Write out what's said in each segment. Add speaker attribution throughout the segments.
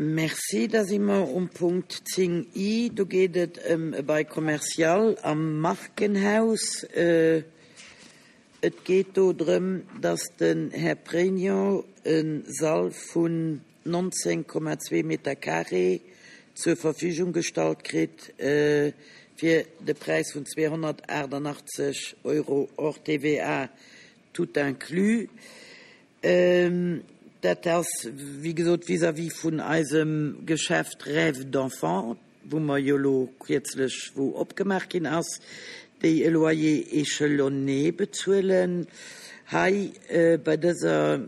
Speaker 1: Merci. Da si mer um Punkt 10 I. Do geet et ëm e Bail commercial am Markenhaus. Et geet do drëm, dass den Här Pregno e Sall vun 19,2 Meter carré zur Verfügung gestallt kritt fir de Präis vun 288 Euro hors TVA tout inclus. Dat ass, wéi gesot, vis-à-vis vun eisem Geschäft Rêve d'enfant, wou mer jo elo kierzlech, wou opgemaach ginn ass, déi e Loyer échelonné bezuelen. Hei bei dëser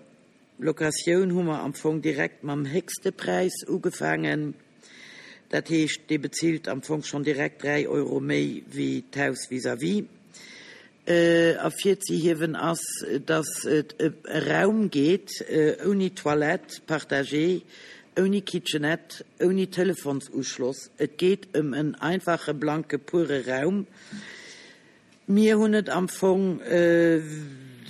Speaker 1: Locatioun hu mer am Fong direkt mam héchste Präis ugefaangen. Dat heescht, dee bezilt am Fong schonn direkt 3 Euro méi wéi d'Haus vis-à-vis. Ervirzehiewen ass, dass et ëm e Raum geet ouni Toilette partagée, ouni Kitchenette, ouni Telefonsuschloss. Et geet ëm en einfache blanke pure Raum. Mir hunn et am Fong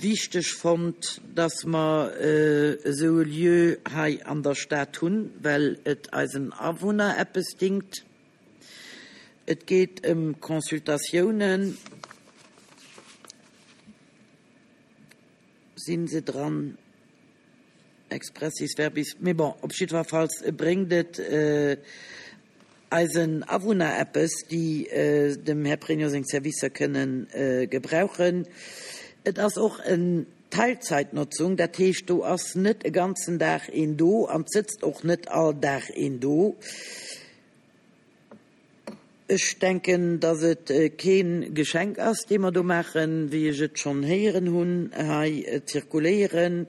Speaker 1: wichteg fonnt, dass mer esou e Lieu hei an der Stad hunn, well et eisen Awunner eppes dingt. Et geet ëm Consultatiounen. Si se dran? Expressis verbis. Mee bon, op jiddwerfalls bréngt et eisen Awunner eppes, déi dem Här Pregno seng Servicer kënnen gebrauchen. Et ass och en Teilzeitnotzung, dat heescht, do ass net e ganzen Dag een do an et sëtzt och net all Dag een do. Ech denken, dass et kee Geschenk ass, dee mer do maachen, wéi ech et schonn héieren hunn hei zirkuléieren.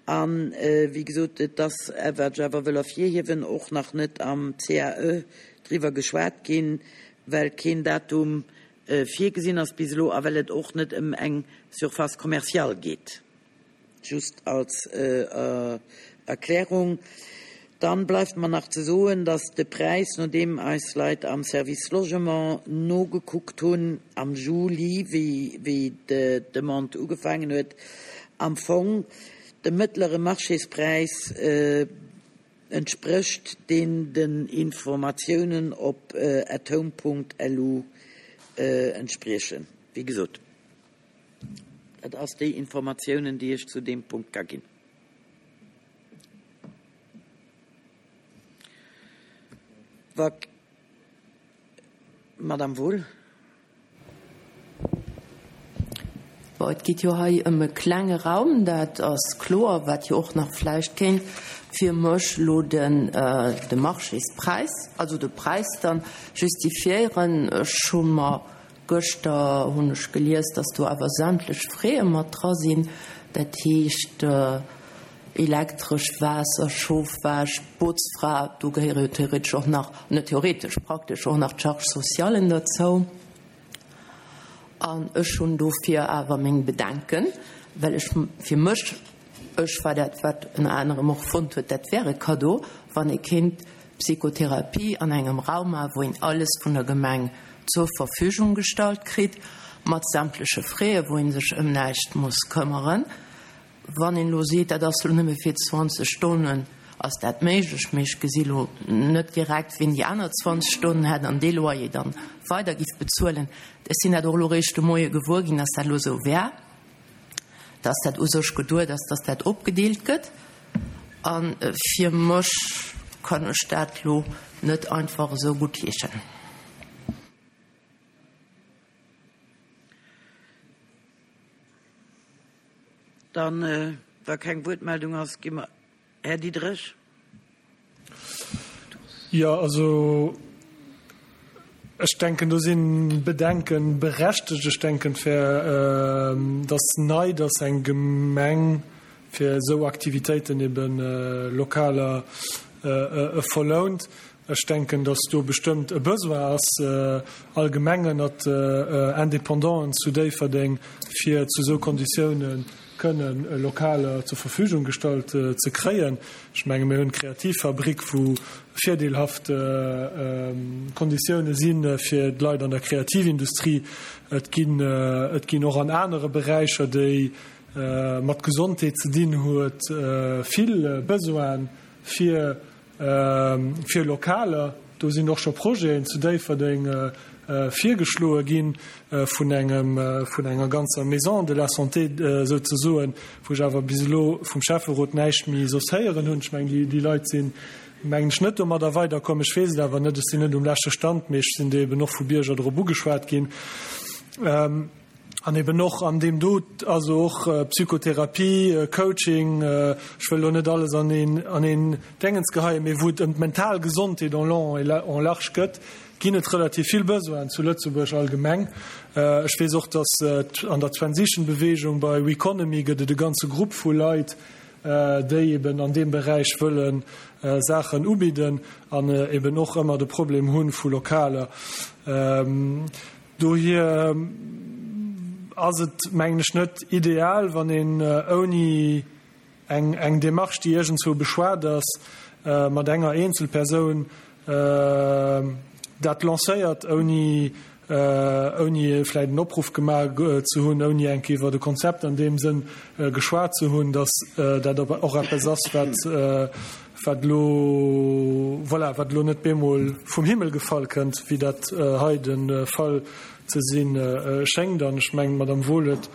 Speaker 1: A wéi gesot, et ass, wat ech awer wëll ervirhiewen, och nach net am CAE driwwer geschwat ginn, well keen Datum virgesinn ass bis elo a well et och net ëm eng Surface commerciale geet. Just als Erklärung. Dann bleift mer nach ze soen, dass de Präis, nodeem eis Leit am Service Logement nogekuckt hunn am Juli, wéi d'Demande ugefaangen huet, am Fong dem mëttlere Marchéspräis entsprécht, deen den Informatiounen op athome.lu entspriechen. Wéi gesot. Dat ass déi Informatiounen, déi ech zu deem Punkt ka ginn. Wa Madame Wohl.
Speaker 2: Bon, et geet jo hei ëm e klenge Raum, dat ass kloer, wat jo och nach vläicht kéint fir mech elo den de Marchéspräis, also de Präis dann justifiéieren. Ech hu mer Gëschter hunn ech gelies, dass do awer sämtlech Fräe mat dra sinn, dat heescht Elektresch, Waasser, Chauffage, Botzfra, do gehéiere jo theoretesch och nach, net theoretesch, praktesch och nach d'Charges socialen derzou. An ech hunn dofir awer meng Bedenken, well ech fir mech, ech war dat, wat ënner anerem och fonnt huet, dat wär e Cadeau, wann ee kéint Psychotherapie an engem Raum maachen, wou een alles vun der Gemeng zur Verfügung gestallt kritt, mat sämtleche Fräe, wou ee sech ëm näischt muss këmmeren. Wann een elo seet, dat ass elo nëmme fir 20 Stonnen, ass dat méiglech, mee ech gesi elo net direkt, wien déi aner 20 Stonnen hätt an dee Loyer dann weider giff bezuelen. Ech sinn dat och elo eréischt de Moie gewuer ginn, dass dat elo esou wär. dass dat u sech geduet ass, dass dat opgedeelt gëtt. A fir mech kann ech dat elo net einfach esou guttheeschen.
Speaker 1: Dann, wa keng Wuertmeldung ass, gi mer. Här Diderich.
Speaker 3: Jo, also ech denken, do si Bedenke berechtegt. Ech denken, et wär, et ass nei, datt eng Gemeng fir esou Aktivitéiten ebe Lokaler verlount. Ech denken, datt do bestëmmt e Besoin ass, allgemeng ënnert Independanten zu Déifferdeng, fir zu esou Konditiounen kënnen Lokaler zur Verfügung gestallt ze kréien. Ech menge mir hunn d'Kreativfabrik, wou virdeelhaft Konditioune si fir d'Leit an der Kreativindustrie. Et ginn, et ginn och an anere Beräicher, déi mat Gesondheet ze dinn huet, vill Besoine fir. Fir Lokaler. Do sinn och scho Projeten zu Déifferdeng virgeschloe gi vun engem, vun enger ganzer Maison de la santé souzesoen, wou ech awer bis elo vum Schäfferot näischt méi soss héieren hunn. Ech mengen, déi Leit sinn, mengen ech, net domadder weiderkomm. Ech weess et awer net, ech sinn net um leschte Stand, mee ech sinn do eben och vu Bierger drop ugeschwat ginn. An eben och an deem do, also och Psychotherapie, Coaching, ech wëll elo net alles an een, an een Déngens geheien, mee wou et ëm d'mental Gesondheet en long et en large gëtt, ginn et relativ vill Besoinen zu Lëtzebuerg allgemeng. Ech weess och, datt an der Transition-Bewegung bei Weconomy gëtt et e ganze Grupp vu Leit, déi eben an deem Beräich wëlle Saachen ubidden an eben och ëmmer de Problem hu vu Lokaler. Dohier ass et, mengen ech, net ideal, wann een ouni eng Démarche, déi iergendzwou beschwat ass, mat enger Eenzelpersoun dat lancéiert, ouni ouni vläicht en Opruff gemaach ze hunn, ouni eng Kéier iwwer e Konzept an deem Sënn geschwat ze hunn, datt dat och eppes ass, wat wat elo, voilà, wat elo net bemol vum Himmel gefall kënnt, wéi dat hei de Fall ze si schéngt. An ech mengen, d'Madame Wohl huet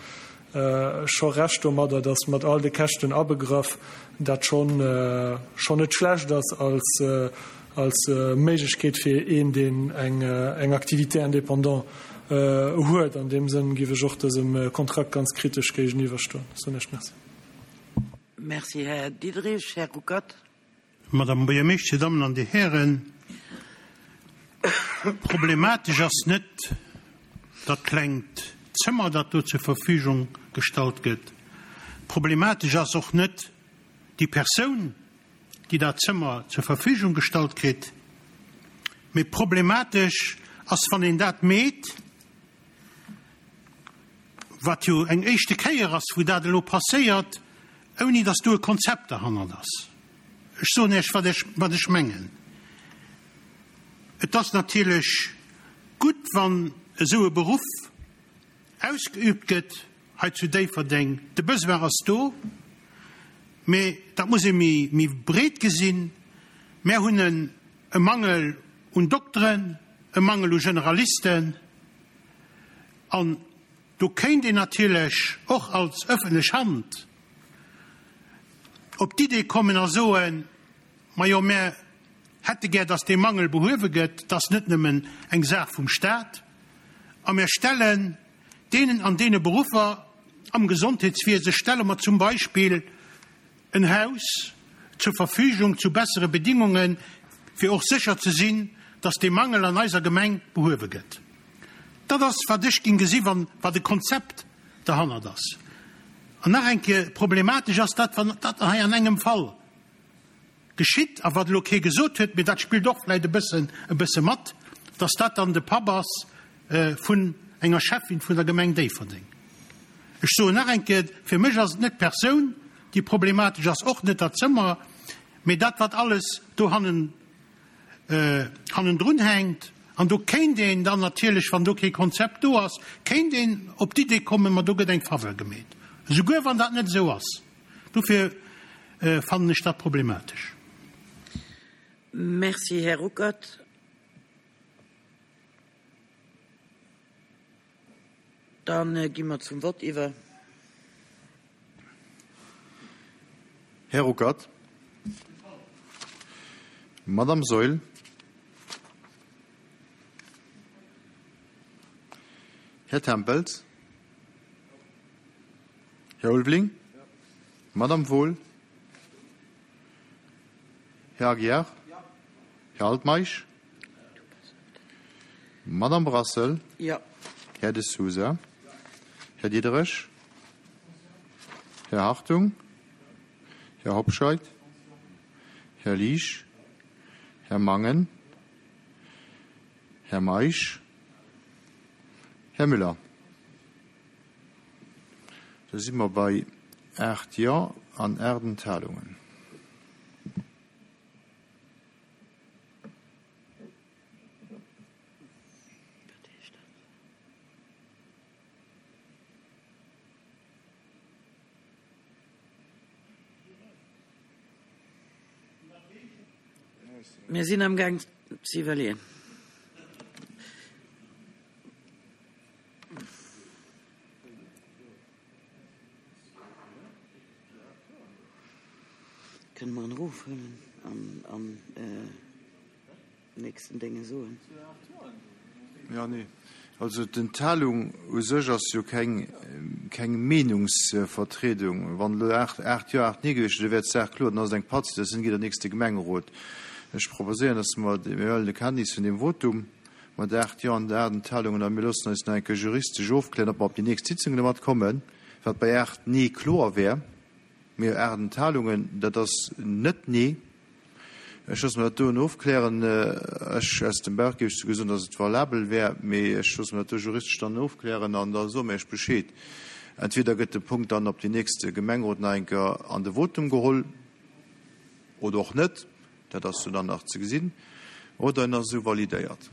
Speaker 3: scho Recht domadder, datt mat all de Käschten abegraff dat schonn schonn net schlecht ass als als Méiglechkeet fir een, deen eng eng Activité indépendante huet. An deem Sënn géif ech och dësem Kontrakt ganz kritesch géigeniwwerstoen. Soen Iech Merci.
Speaker 1: Merci, Här Diderich. Här Ruckert.
Speaker 4: Madame Buergermeeschter, Dir Dammen an Dir Hären, problematesch ass net dat klengt Zëmmer, dat do zur Verfügung gestallt gëtt. Problematesch ass och net déi Persoun, déi dat Zëmmer zur Verfügung gestallt kritt. Mee problematesch ass, wann een dat meet, wat jo eng éischte Kéier ass, wou dat elo passéiert, ouni datt do e Konzept derhannert ass. Ech soen Iech, wat ech, wat ech mengen. Et ass natierlech gutt, wann esou e Beruff ausgeübt gëtt hei zu Déifferdeng. De Besoin ass do, mee dat muss ee méi, méi breet gesinn. Mär hunn e Mangel un Dokteren, e Mangel u Generalisten. An do kéint een natierlech och als öffentlech Hand op d'Idee kommen a soen, Majo, mär hätte gär, dass dee Mangel behuewe gëtt, dat ass net nëmmen eng Saach vum Stat, a mär stellen deenen an deene Beruffer am Gesondheetswiese stelle mer zum Beispill en Haus zur Verfügung zu bessere Bedingungen, fir och sécher ze sinn, dass dee Mangel an eiser Gemeng behuewe gëtt. Dat ass, wat ech géing gesi wann, wat e Konzept derhannert ass. An nach eng Kéier, Problematesch ass dat, wann dat hei an engem Fall geschitt, a wat elo kee gesot huet, mee dat spillt och vläicht e bëssen, e bësse mat, dass dat dann de Papp ass vun enger Schäffin vun der Gemeng Déifferdeng. Ech soen nach eng Kéier, fir mech ass et net d'Persoun, déi problematesch ass, och net dat Zëmmer, mee dat, wat alles do hannen, hannendrun hänkt. An do kéint een dann natierlech, wann do kee Konzept do ass, kéint een op d'Idee kommen, ma do gëtt eng Faveur gemeet, esouguer wann dat net esou ass. Dofir fannen ech dat problematesch.
Speaker 1: Merci, Här Ruckert. Da gi mer zum Vott iwwer.
Speaker 5: Här Ruckert. Madame Saeul. Här Tempels. Här Ulveling. Madame Wohl. Här Aguiar. Här Altmeisch. Madame Brassel.
Speaker 1: Jo.
Speaker 5: Här De Sousa. Här Diderich. Här Hartung. Här Hobscheit. Här Liesch. Här Mangen. Här Meisch. Här Müller. Da si mer bei 8 Jo an 8 Enthalungen.
Speaker 1: Mir sinn am Gaang ze iwwerleeën. Kënne mer en erofhuelen an am nächsten Dénge soen?
Speaker 5: Jo, nee. Also d'Enthalung u sech ass jo keng, keng Meenungsvertriedung. Wann elo 8, 8 Jo, 8 Nee gewiescht wier, da wär d'Saach kloer, dann ass et eng Pattsituatioun, geet an den nächste Gemengerot. Ech proposéieren, dass mer, mir huelen de Kenntnis vun deem Votum mat 8 Jo an 8 Enthalungen a mir loossen eis nach eng Kéier juristesch ofklären, ob mer op déi nächst Sitzung domat kommen, wat bei 8 Nee kloer wär. Mee 8 Enthalungen, dat ass net Nee. Ech loosse mer dat doen ofklären. Ech, aus dem Bauch géif ech souguer soen, datt et valabel wär, mee ech loosse mer dat do juristesch dann ofklären an da soe mir Iech Bescheed. Entweder gëtt de Punkt dann op déi nächste Gemengerot nach eng Kéier an de Votum geholl oder och net, dat ass jo dann nach ze gesinn, oder en ass esou validéiert.